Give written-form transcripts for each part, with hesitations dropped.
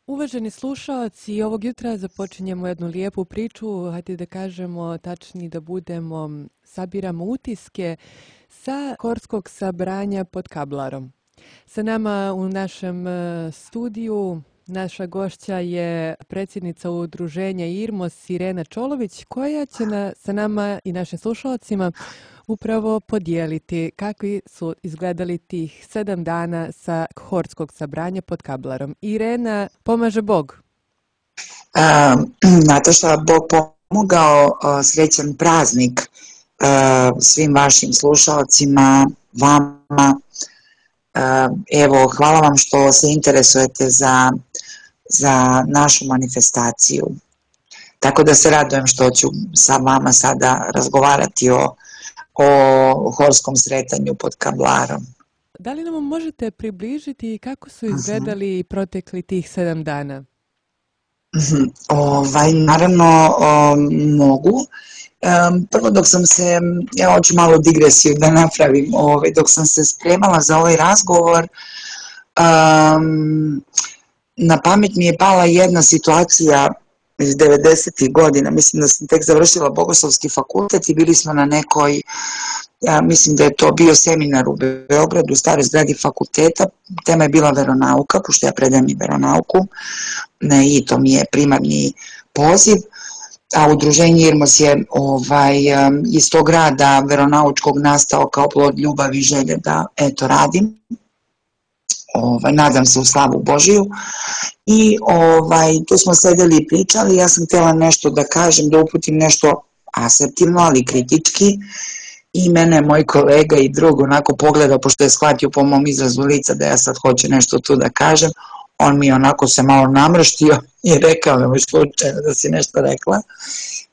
Uvaženi slušalci, ovog jutra započinjemo jednu lijepu priču, hajde da kažemo, tačnije da budemo, sabiramo utiske sa Horskog sabranja pod Kablarom. Sa nama u našem studiju naša gošća je predsjednica udruženja IRMOS Irena Čolović, koja će sa nama i našim slušalcima upravo podijeliti kakvi su izgledali tih 7 dana sa Horskog sabranja pod Kablarom. Irena, pomaže Bog. Nataša, Bog pomogao, srećan praznik svim vašim slušalcima, vama. Evo, hvala vam što se interesujete za našu manifestaciju. Tako da se radujem što ću sa vama sada razgovarati o horskom sretanju pod Kablarom. Da li nam možete približiti kako su izgledali protekli tih 7 dana? Naravno mogu. Prvo dok sam se, ja hoću malo digresiju da napravim, dok sam se spremala za ovaj razgovor, na pamet mi je pala jedna situacija iz 90. godina, mislim da sam tek završila Bogoslovski fakultet i bili smo na nekoj, mislim da je to bio seminar u Beogradu, u staroj zgradi fakulteta, tema je bila veronauka, pošto ja predajem i veronauku, i to mi je primarni poziv, a udruženje IRMOS je iz tog rada veronaučkog nastao kao plod ljubavi i želje da radim. Nadam se u slavu Božiju i tu smo sedeli i pričali, ja sam htjela nešto da kažem, da uputim nešto asertivno, ali kritički, i mene moj kolega i drug onako pogledao, pošto je shvatio po mom izrazu lica da ja sad hoću nešto tu da kažem, on mi onako se malo namrštio i rekao nemoj slučajno da si nešto rekla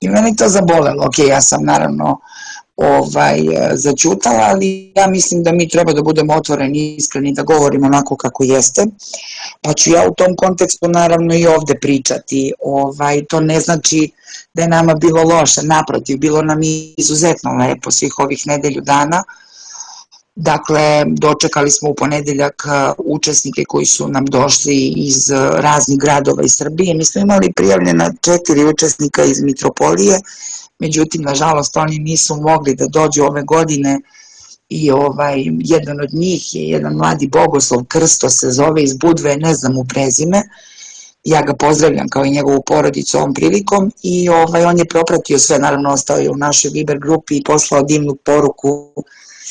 i meni to zabolelo. Ok, ja sam naravno začutala, ali ja mislim da mi treba da budemo otvoreni i iskreni, da govorimo onako kako jeste, pa ću ja u tom kontekstu naravno i ovde pričati. To ne znači da je nama bilo loše, naprotiv, bilo nam izuzetno lepo svih ovih nedelju dana. Dakle, dočekali smo u ponedeljak učesnike koji su nam došli iz raznih gradova iz Srbije. Mi smo imali prijavljena 4 učesnika iz Mitropolije, međutim, nažalost, oni nisu mogli da dođu ove godine i jedan od njih je jedan mladi bogoslov, Krsto se zove, iz Budve, ne znam mu prezime, ja ga pozdravljam kao i njegovu porodicu ovom prilikom i on je propratio sve, naravno ostao je u našoj Viber grupi i poslao divnu poruku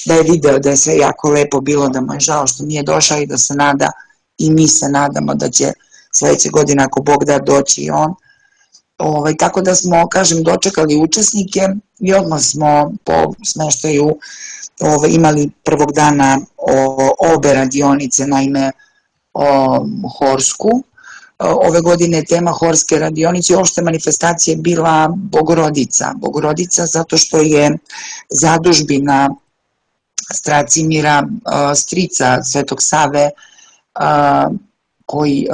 da je video da je sve jako lepo bilo, da mu je žao što nije došao i da se nada, i mi se nadamo da će sledeće godine ako Bog da doći i on. Tako da smo, kažem, dočekali učesnike i odmah smo po smeštaju imali prvog dana obe radionice, naime Horsku. Ove godine je tema Horske radionice i uopšte manifestacije bila Bogorodica. Bogorodica zato što je zadužbina Stracimira, strica Svetog Save, koji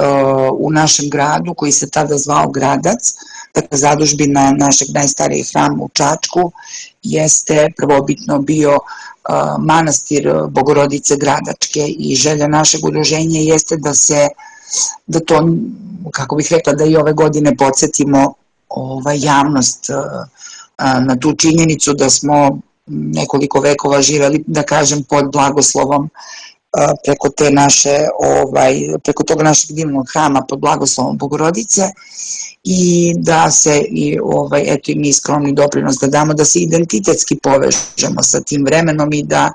u našem gradu, koji se tada zvao Gradac, dakle zadužbina našeg najstarijeg hrama u Čačku, jeste prvobitno bio manastir Bogorodice Gradačke i želja našeg udruženja jeste da to, kako bih rekla, da i ove godine podsjetimo javnost na tu činjenicu da smo nekoliko vekova živeli, da kažem, pod blagoslovom preko tog našeg divnog hrama pod blagoslovom Bogorodice i da se eto i mi skromni doprinos da damo, da se identitetski povežemo sa tim vremenom i da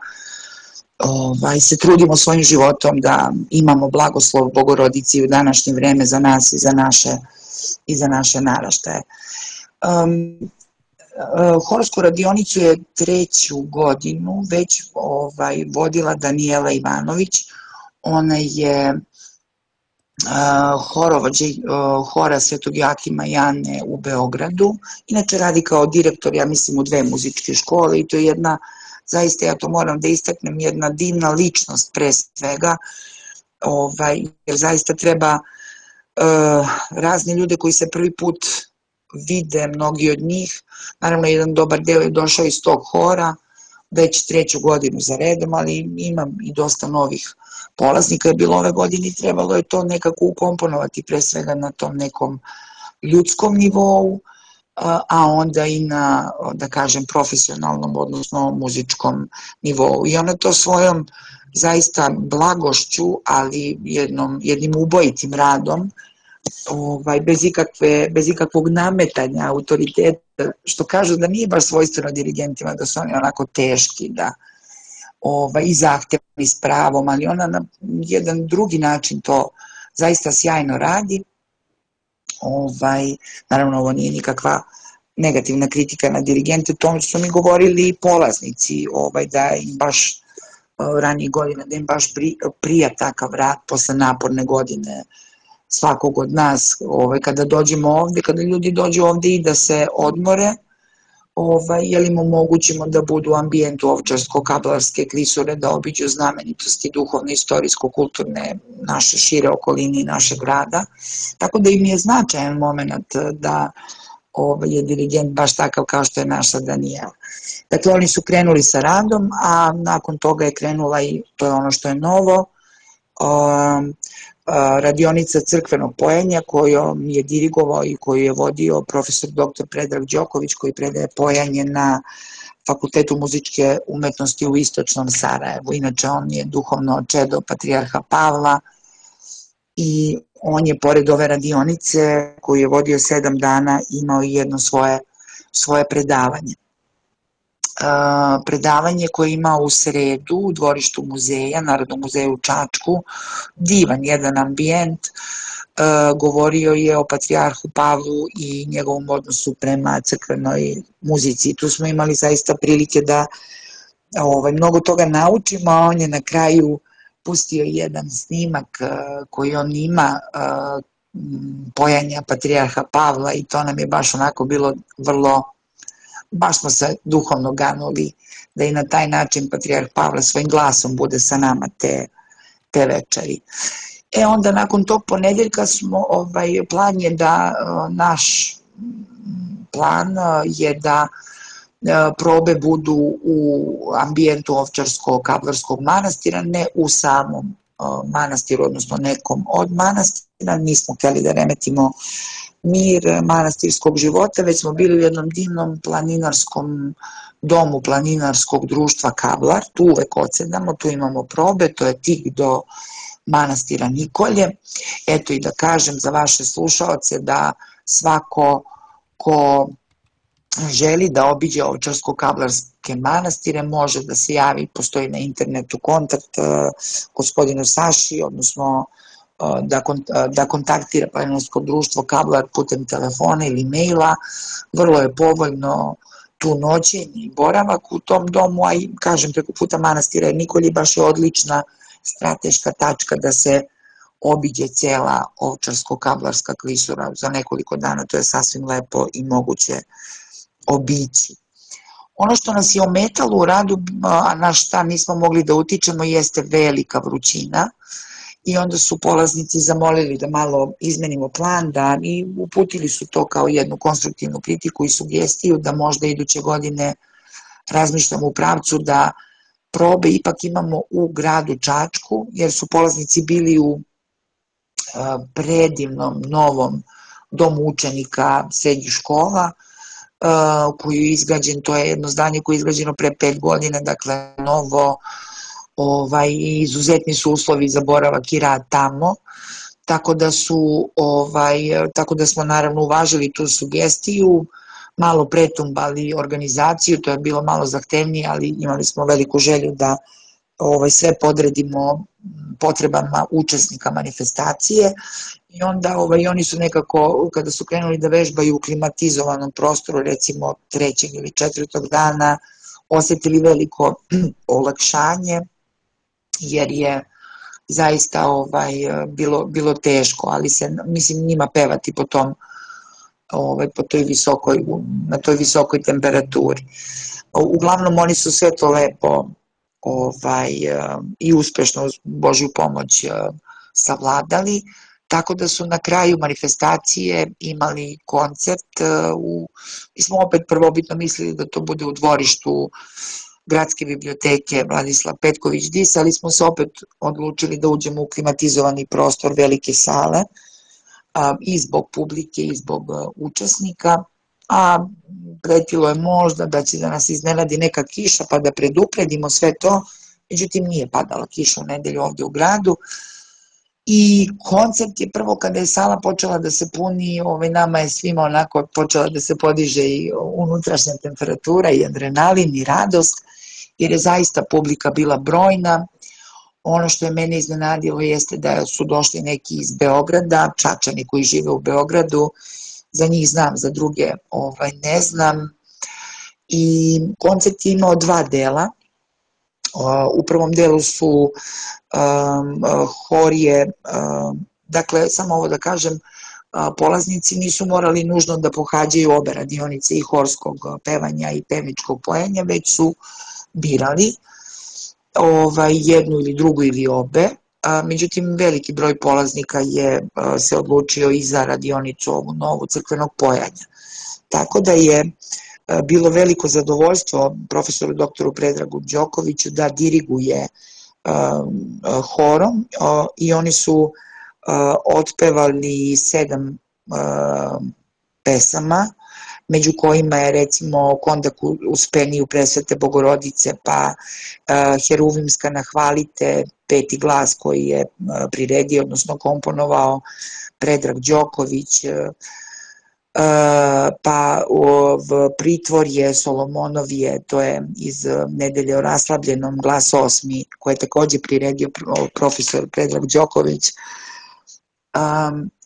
se trudimo svojim životom da imamo blagoslov Bogorodici u današnje vreme za nas i za naše naraštaje. Horsku radionicu je 3. godinu već vodila Danijela Ivanović. Ona je horovođa hora Svetog Joakima i Ane u Beogradu. Inače radi kao direktor, ja mislim, u 2 muzičke škole i to je jedna, zaista ja to moram da istaknem, jedna divna ličnost pre svega, jer zaista treba razne ljude koji se prvi put vide, mnogi od njih, naravno jedan dobar deo je došao iz tog hora, već 3. godinu za redom, ali imam i dosta novih polaznika je bilo ove godine i trebalo je to nekako ukomponovati pre svega na tom nekom ljudskom nivou, a onda i na, da kažem, profesionalnom, odnosno muzičkom nivou. I ona to svojom zaista blagošću, ali jednim ubojitim radom, bez ikakvog nametanja autoriteta, što kažu da nije baš svojstveno dirigentima, da su oni onako teški, da i zahtevni s pravom, ali ona na jedan drugi način to zaista sjajno radi. Naravno, ovo nije nikakva negativna kritika na dirigente, to su mi govorili polaznici, da im baš ranije godina, da im baš prija takav rad posle naporne godine svakog od nas, kada dođemo ovde, kada ljudi dođu ovde i da se odmore, jer im omogućimo da budu u ambijentu Ovčarsko-Kablarske klisure, da obiđu znamenitosti duhovne, istorijsko-kulturne naše šire okoline i našeg grada. Tako da im je značajan moment da je dirigent baš takav kao što je naša Danijela. Dakle, oni su krenuli sa radom, a nakon toga je krenula i, to je ono što je novo, radionica crkvenog pojenja kojom je dirigovao i koju je vodio profesor dr. Predrag Đoković, koji predaje pojanje na Fakultetu muzičke umetnosti u Istočnom Sarajevu. Inače, on je duhovno čedo patrijarha Pavla i on je pored ove radionice koju je vodio 7 dana imao i jedno svoje predavanje. Predavanje koje je imao u sredu u dvorištu muzeja, Narodnog muzeja u Čačku, divan jedan ambijent, govorio je o patrijarhu Pavlu i njegovom odnosu prema crkvenoj muzici. Tu smo imali zaista prilike da mnogo toga naučimo, a on je na kraju pustio jedan snimak koji on ima pojanja patrijarha Pavla i to nam je baš onako bilo vrlo, baš smo se duhovno ganuli da i na taj način patrijarh Pavle svojim glasom bude sa nama te večeri. Onda nakon tog ponedeljka plan je da naš plan je da probe budu u ambijentu Ovčarsko-Kablarskog manastira, ne u samom manastiru, odnosno nekom od manastira. Nismo hteli da remetimo mir manastirskog života, već smo bili u jednom divnom planinarskom domu planinarskog društva Kablar, tu uvek odsedamo, tu imamo probe, to je tik do manastira Nikolje. Eto i da kažem za vaše slušaoce da svako ko želi da obiđe Ovčarsko-Kablarske manastire može da se javi, postoji na internetu kontakt gospodinu Saši, odnosno da kontaktira planinarsko društvo Kablar putem telefona ili maila. Vrlo je povoljno tu noćenje i boravak u tom domu, a i kažem preko puta manastira Nikolje baš je odlična strateška tačka da se obiđe cela Ovčarsko-Kablarska klisura za nekoliko dana, to je sasvim lepo i moguće obići. Ono što nas je ometalo u radu, a na šta nismo mogli da utičemo, jeste velika vrućina i onda su polaznici zamolili da malo izmenimo plan, i uputili su to kao jednu konstruktivnu kritiku i sugestiju da možda iduće godine razmišljamo u pravcu da probe ipak imamo u gradu Čačku, jer su polaznici bili u predivnom novom domu učenika srednjih škola, koji je izgrađen, to je jedno zdanje koje je izgrađeno pre 5 godina, dakle novo, i izuzetni su uslovi za boravak i rad tamo, tako da smo naravno uvažili tu sugestiju, malo pretumbali organizaciju, to je bilo malo zahtevnije, ali imali smo veliku želju da sve podredimo potrebama učesnika manifestacije i onda oni su nekako, kada su krenuli da vežbaju u klimatizovanom prostoru, recimo 3. ili 4. dana, osetili veliko olakšanje, jer je zaista bilo teško, ali mislim njima pevati na toj visokoj temperaturi. Uglavnom oni su sve to lepo i uspešno uz Božju pomoć savladali, tako da su na kraju manifestacije imali koncert, mi smo opet prvobitno mislili da to bude u dvorištu Gradske biblioteke Vladislav Petković-Dis, ali smo se opet odlučili da uđemo u klimatizovani prostor velike sale, i zbog publike i zbog učesnika, a pretilo je možda da će da nas iznenadi neka kiša pa da predupredimo sve to, međutim nije padala kiša u nedelju ovde u gradu. I koncept je prvo kada je sala počela da se puni, nama je svima onako počela da se podiže i unutrašnja temperatura i adrenalin i radost, jer je zaista publika bila brojna. Ono što je mene iznenadilo jeste da su došli neki iz Beograda, Čačani koji žive u Beogradu, za njih znam, za druge ne znam. I koncept je imao dva dela. U prvom delu su horije, dakle, samo ovo da kažem, polaznici nisu morali nužno da pohađaju obe radionice i horskog pevanja i pevničkog pojenja, već su birali jednu ili drugu ili obe. Međutim, veliki broj polaznika je se odlučio i za radionicu ovu novu crkvenog pojanja. Tako da je bilo veliko zadovoljstvo profesoru doktoru Predragu Đokoviću da diriguje horom i oni su otpevali 7 pesama, među kojima je recimo Kondak uspeniju Presvete Bogorodice, pa Heruvimska nahvalite, Peti glas koji je priredio, odnosno komponovao Predrag Đoković, pa Pritvorje Solomonovije, to je iz Nedelje o raslabljenom, glas 8, koje je takođe priredio profesor Predrag Đoković.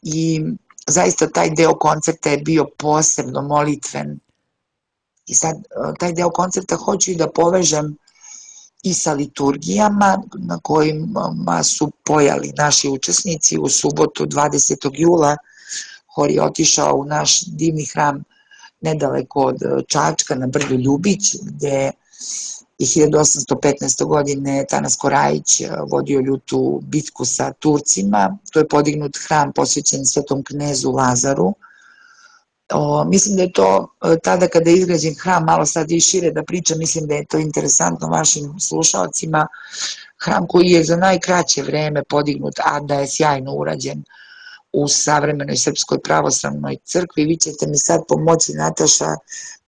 I zaista taj deo koncerta je bio posebno molitven. I sad taj deo koncerta hoću i da povežem i sa liturgijama na kojima su pojali naši učesnici. U subotu 20. jula hor je otišao u naš divni hram nedaleko od Čačka na brdu Ljubić, gde je 1815. godine Tanas Korajić vodio ljutu bitku sa Turcima. To je podignut hram posvećen Svetom knezu Lazaru. Mislim da je to tada kada je izgrađen hram, malo sad i šire da pričam, mislim da je to interesantno vašim slušalcima, hram koji je za najkraće vreme podignut, a da je sjajno urađen u savremenoj Srpskoj pravoslavnoj crkvi. Vi ćete mi sad pomoći, Nataša,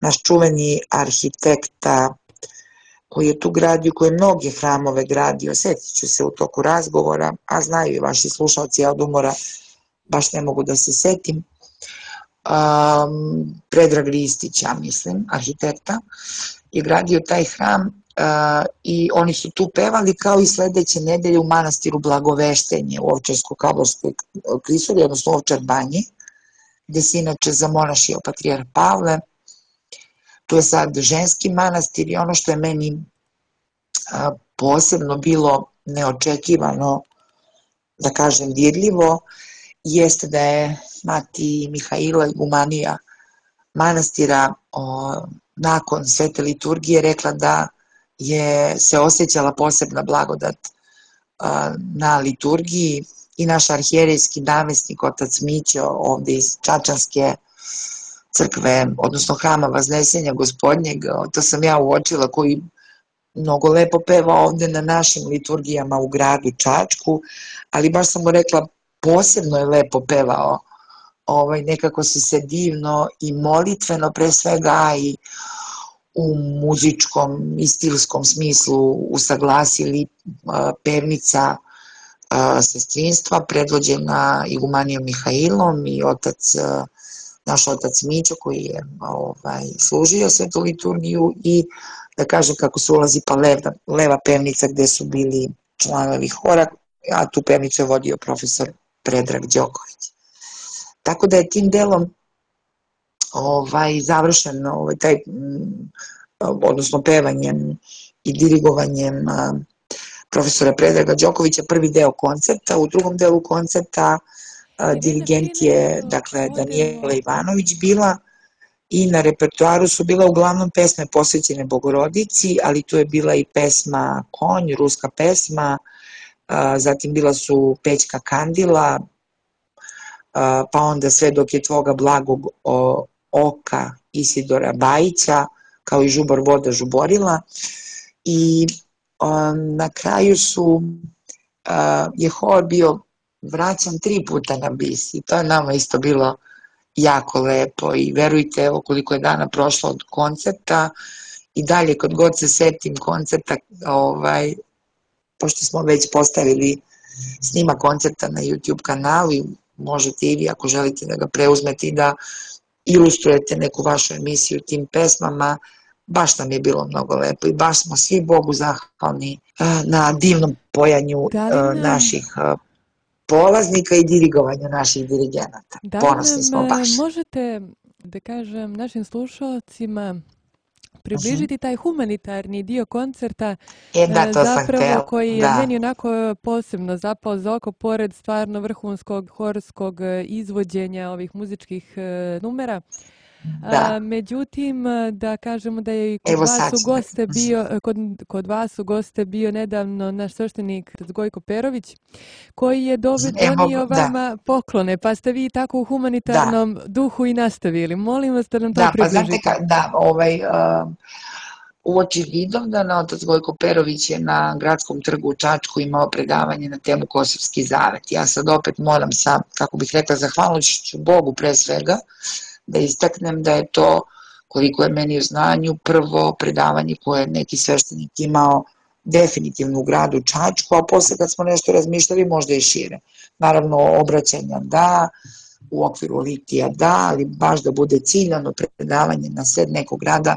naš čuveni arhitekta koji je tu gradio, koji je mnoge hramove gradio, setit ću se u toku razgovora, a znaju i vaši slušalci, ja od umora baš ne mogu da se setim, Predrag Ristić, ja mislim, arhitekta, je gradio taj hram i oni su tu pevali kao i sledeće nedelje u manastiru Blagoveštenje u Ovčarsko-Kablarskoj klisuri, odnosno Ovčar banji, gde se inače zamonašio patrijarh Pavle. Tu je sad ženski manastir i ono što je meni posebno bilo neočekivano, da kažem dirljivo, jeste da je mati Mihaila igumanija manastira nakon svete liturgije rekla da je se osjećala posebna blagodat na liturgiji i naš arhijerejski namestnik otac Mićo ovde iz Čačanske crkve, odnosno hrama Vaznesenja Gospodnjeg, to sam ja uočila, koji mnogo lepo peva ovde na našim liturgijama u gradu Čačku, ali baš sam mu rekla, posebno je lepo pevao, nekako su se divno i molitveno pre svega i u muzičkom i stilskom smislu usaglasili pevnica sestrinstva predvođena igumanijom Mihailom i naš otac Mićo koji je služio svetu liturgiju i da kažem kako se ulazi pa leva pevnica gde su bili članovi hora, a tu pevnicu je vodio profesor Predrag Đoković. Tako da je tim delom završen taj, odnosno pevanjem i dirigovanjem profesora Predraga Đokovića prvi deo koncerta. U drugom delu koncerta dirigent je, dakle, Danijela Ivanović bila i na repertoaru su bila uglavnom pesme posvećene Bogorodici, ali tu je bila i pesma Konj, ruska pesma, zatim bila su Pećka Kandila, pa onda Sve dok je tvoga blagog oka Isidora Bajića, kao i Žubor voda žuborila. i na kraju je hor bio vraćan 3 puta na bis i to je nama isto bilo jako lepo i verujte, evo koliko je dana prošlo od koncerta i dalje kad god se setim koncerta, pošto smo već postavili snima koncerta na YouTube kanalu i možete i vi ako želite da ga preuzmete i da ilustrujete neku vašu emisiju tim pesmama, baš nam je bilo mnogo lepo i baš smo svi Bogu zahvalni na divnom pojanju naših polaznika i dirigovanju naših dirigenata. Ponosni smo baš. Možete, da kažem, našim slušalcima približiti taj humanitarni dio koncerta, zapravo koji je meni onako posebno zapao za oko, pored stvarno vrhunskog horskog izvođenja ovih muzičkih numera. Međutim, da kažemo da je kod vas u goste bio nedavno naš sveštenik Gojko Perović, koji je donio vama poklone, pa ste vi tako u humanitarnom duhu i nastavili. Molim vas da nam to približite. Uoči Vidovdana otac Gojko Perović je na Gradskom trgu u Čačku imao predavanje na temu Kosovski zavet. Ja sad opet moram sa, kako bih rekla, zahvalnošću Bogu pre svega, da istaknem da je to, koliko je meni u znanju, prvo predavanje koje je neki sveštenik imao definitivno u gradu Čačku, a posle kad smo nešto razmišljali možda i šire. Naravno, obraćanja da, u okviru litija da, ali baš da bude ciljano predavanje na sred nekog grada.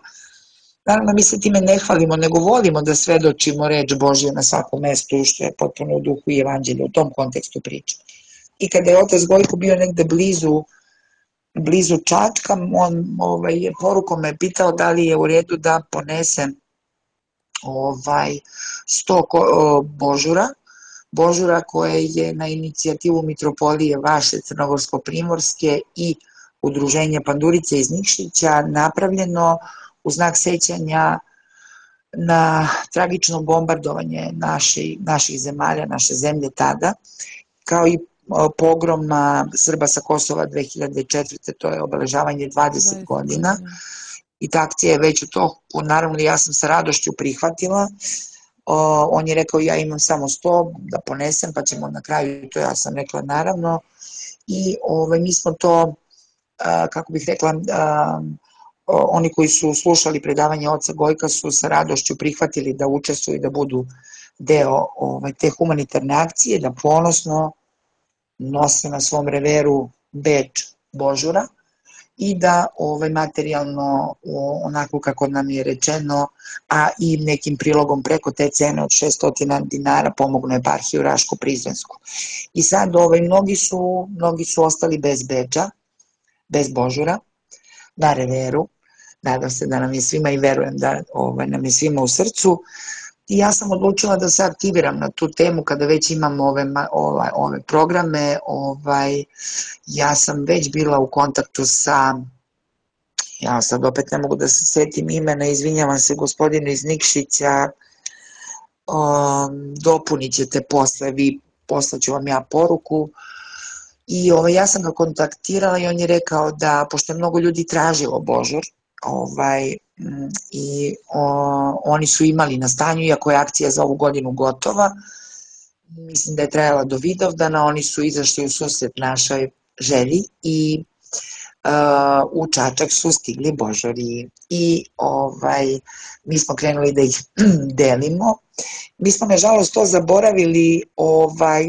Naravno, mi se time ne hvalimo, nego volimo da svedočimo reč Božje na svakom mestu, što je potpuno u duhu i evanđelja, u tom kontekstu priče. I kada je otac Gojko bio negde blizu Čačka, on je porukom me pitao da li je u redu da ponese 100 božura koje je na inicijativu Mitropolije vaše Crnogorsko-Primorske i Udruženja Pandurice iz Nikšića napravljeno u znak sećanja na tragično bombardovanje naših zemalja, naše zemlje tada, kao i pogrom Srba sa Kosova 2004. To je obeležavanje 20 godina i ta akcija je već u toku, naravno ja sam sa radošću prihvatila, on je rekao ja imam samo 100 da ponesem pa ćemo na kraju, to ja sam rekla naravno i mi smo to, kako bih rekla, oni koji su slušali predavanje oca Gojka su sa radošću prihvatili da učestvuju i da budu deo te humanitarne akcije, da ponosno nose na svom reveru beč božura i da materijalno, onako kako nam je rečeno, a i nekim prilogom preko te cene od 600 dinara pomognu eparhiju Raško-Prizrensku. I sad mnogi su ostali bez beča, bez božura, na reveru. Nadam se da nam je svima i verujem da nam je svima u srcu. I ja sam odlučila da se aktiviram na tu temu kada već imam ove programe. Ja sam već bila u kontaktu sa, ja sad opet ne mogu da se setim imena, izvinjavam se gospodinu iz Nikšića, dopunit ćete posle, poslaću vam ja poruku. I ja sam ga kontaktirala i on je rekao da, pošto je mnogo ljudi tražilo božur, i oni su imali na stanju, iako je akcija za ovu godinu gotova, mislim da je trajala do Vidovdana, oni su izašli u susret našoj želji i u Čačak su stigli božuri i mi smo krenuli da ih delimo. Mi smo nažalost to zaboravili,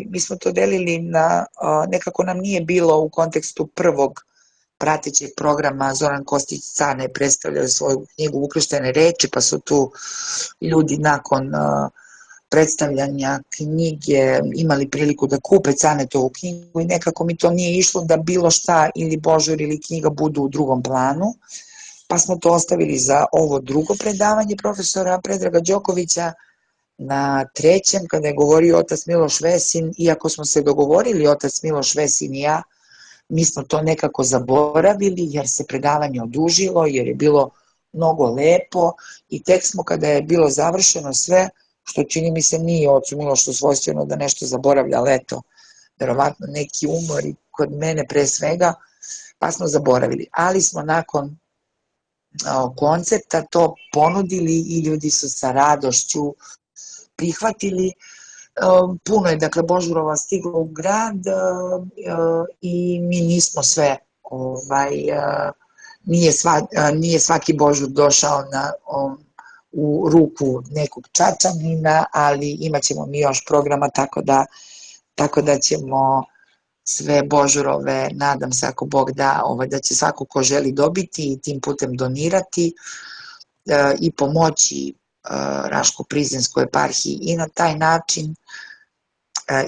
mi smo to delili na, nekako nam nije bilo u kontekstu prvog pratećeg programa. Zoran Kostić Cane predstavljaju svoju knjigu Ukrštene reči, pa su tu ljudi nakon predstavljanja knjige imali priliku da kupe Canetovu knjigu i nekako mi to nije išlo da bilo šta ili božur ili knjiga budu u drugom planu, pa smo to ostavili za ovo drugo predavanje profesora Predraga Đokovića. Na trećem, kada je govorio otac Miloš Vesin, iako smo se dogovorili otac Miloš Vesin i ja, mi smo to nekako zaboravili jer se predavanje odužilo, jer je bilo mnogo lepo i tek smo kada je bilo završeno sve, što čini mi se nije ocu Milošu svojstveno da nešto zaboravlja, ali eto, verovatno neki umor i kod mene pre svega, pa smo zaboravili. Ali smo nakon koncepta to ponudili i ljudi su sa radošću prihvatili. Puno je, dakle, Božurova stiglo u grad i mi nismo sve, nije svaki Božur došao u ruku nekog Čačanina, ali imat ćemo mi još programa, tako da ćemo sve Božurove, nadam se ako Bog da, da će svako ko želi dobiti i tim putem donirati i pomoći Raško-Prizrenskoj eparhiji i na taj način.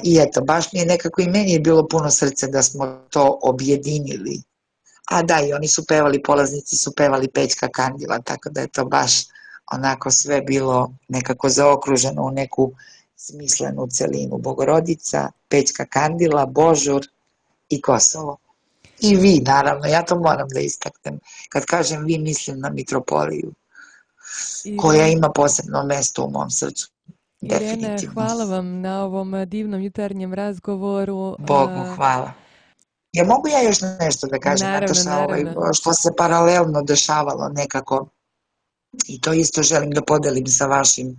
I eto, baš mi je nekako, i meni je bilo puno srce da smo to objedinili. A da, i oni su pevali, polaznici su pevali Pećka Kandila, tako da je to baš onako sve bilo nekako zaokruženo u neku smislenu celinu. Bogorodica, Pećka Kandila, Božur i Kosovo. I vi, naravno, ja to moram da istaknem. Kad kažem vi, mislim na mitropoliju, koja ima posebno mesto u mom srcu. Irene, hvala vam na ovom divnom jutarnjem razgovoru. Bogu hvala. Ja mogu ja još nešto da kažem, Nataša, što se paralelno dešavalo nekako, i to isto želim da podelim sa vašim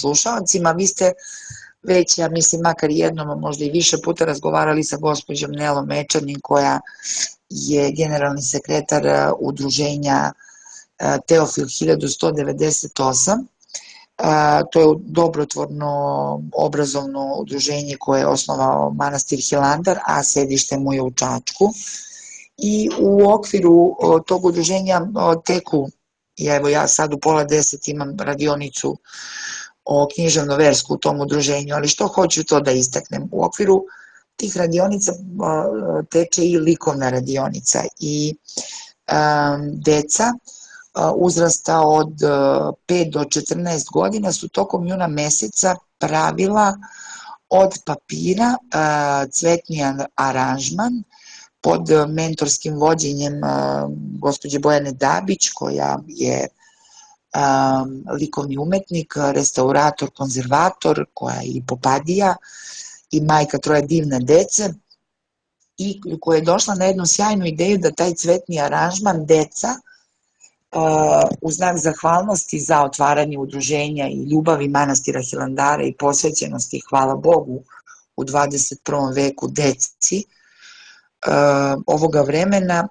slušalcima. Vi ste već, ja mislim, makar jednom, a možda i više puta razgovarali sa gospođom Nelom Mečanin, koja je generalni sekretar udruženja Teofil 1198. To je dobrotvorno obrazovno udruženje koje je osnovao manastir Hilandar, a sedište mu je u Čačku. I u okviru tog udruženja teku, evo ja sad u 9:30 imam radionicu o književno-versku u tom udruženju, ali što hoću to da istaknem, u okviru tih radionica teče i likovna radionica i deca uzrasta od 5 do 14 godina su tokom juna meseca pravila od papira cvetni aranžman pod mentorskim vođenjem gospođe Bojane Dabić, koja je likovni umetnik, restaurator, konzervator, koja je i popadija i majka 3 divne dece, i koja je došla na jednu sjajnu ideju da taj cvetni aranžman deca u znak zahvalnosti za otvaranje udruženja i ljubavi manastira Hilandara i posvećenosti, hvala Bogu, u 21. veku deci ovoga vremena,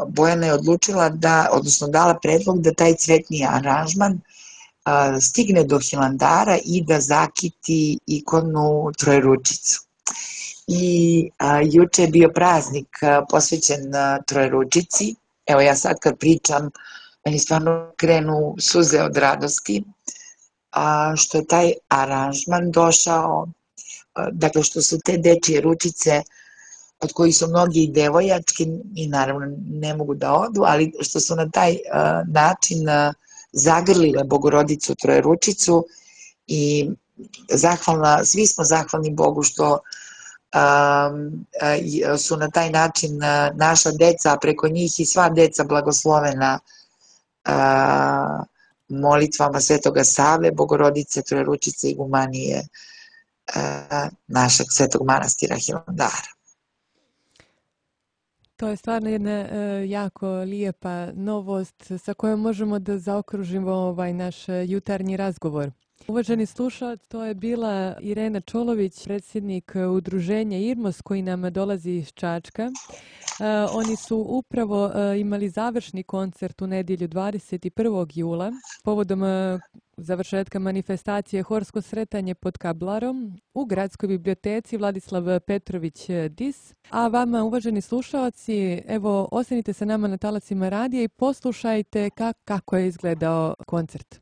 Bojana je odlučila da, odnosno dala predlog da taj cvetni aranžman stigne do Hilandara i da zakiti ikonu Trojeručicu. I juče je bio praznik posvećen Trojeručici. Evo ja sad kad pričam, meni stvarno krenu suze od radosti, što je taj aranžman došao, dakle što su te dečije ručice, od kojih su mnogi i devojački i naravno ne mogu da odu, ali što su na taj način zagrlile Bogorodicu Trojeručicu, i svi smo zahvalni Bogu što su na taj način naša deca, a preko njih i sva deca blagoslovena molitvama Svetoga Save, Bogorodice Trojeručice i Igumanije našeg Svetog manastira Hilandara. To je stvarno jedna jako lijepa novost sa kojom možemo da zaokružimo ovaj naš jutarnji razgovor. Uvaženi slušalac, to je bila Irena Čolović, predsjednik udruženja IRMOS koji nam dolazi iz Čačka. Oni su upravo imali završni koncert u nedjelju 21. jula povodom završetka manifestacije Horsko sretanje pod Kablarom u Gradskoj biblioteci Vladislav Petrović Dis. A vama, uvaženi slušalci, evo, ostanite sa nama na talacima radija i poslušajte kako je izgledao koncert.